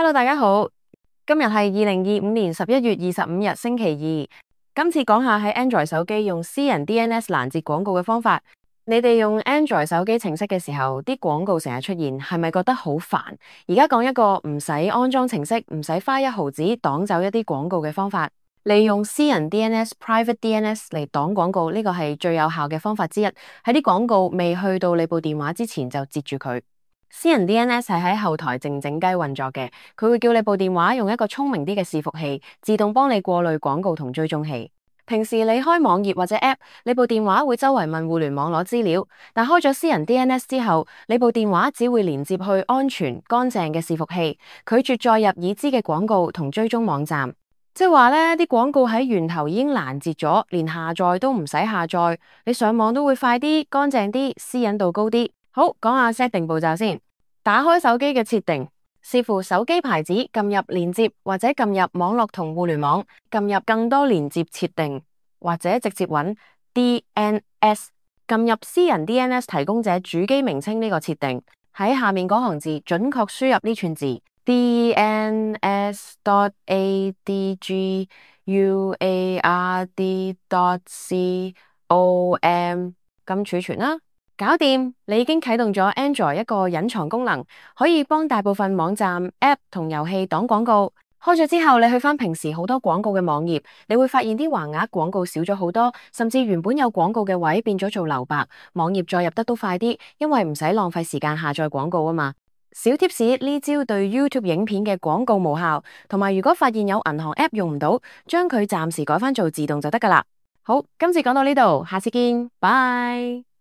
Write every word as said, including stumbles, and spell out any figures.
Hello，大家好，今日係二零二五年十一月二十五日星期二。今次講下喺 Android 手機用私人 D N S 攔截廣告嘅方法。你哋用 Android 手機程式嘅時候，啲廣告成日出現，係咪覺得好煩？而家講一個唔使安裝程式，唔使花一毫子擋走一啲廣告嘅方法。利用私人 D N S、Private D N S 嚟擋廣告，呢個係最有效嘅方法之一。喺啲廣告未去到你部電話之前就截住佢。私人 D N S 係喺後台靜靜雞運作嘅，佢會叫你部電話用一個聰明啲嘅伺服器，自動幫你過濾廣告同追蹤器。平時你開網頁或者 App， 你部電話會周圍問互聯網攞資料，但開咗私人 D N S 之後，你部電話只會連接去安全乾淨嘅伺服器，拒絕載入已知嘅廣告同追蹤網站。即係話呢啲廣告喺源頭已經攔截咗，連下載都唔使下載，你上網都會快啲、乾淨啲、私隱度高啲。好，講下 setting 步驟先。打開手機嘅設定，視乎手機牌子，撳入連接或者撳入網絡同互聯網，撳入更多連接設定，或者直接揾 D N S， 撳入私人 D N S 提供者主機名稱呢個設定，喺下面嗰行字準確輸入呢串字 D N S dot A D G U A R D dot C O M， 咁儲存啦。搞掂，你已經啟動咗 Android 一個隱藏功能，可以幫大部分網站、App 同遊戲擋廣告。開咗之後，你去返平時好多廣告嘅網頁，你會發現啲橫額廣告少咗好多，甚至原本有廣告嘅位變咗做留白，網頁再入得都快啲，因為唔使浪費時間下載廣告啊嘛。小貼士，呢招對 YouTube 影片嘅廣告無效，同埋如果發現有銀行 App 用唔到，將佢暫時改返做自動就得㗎喇。好，今次講到呢度，下次見，拜。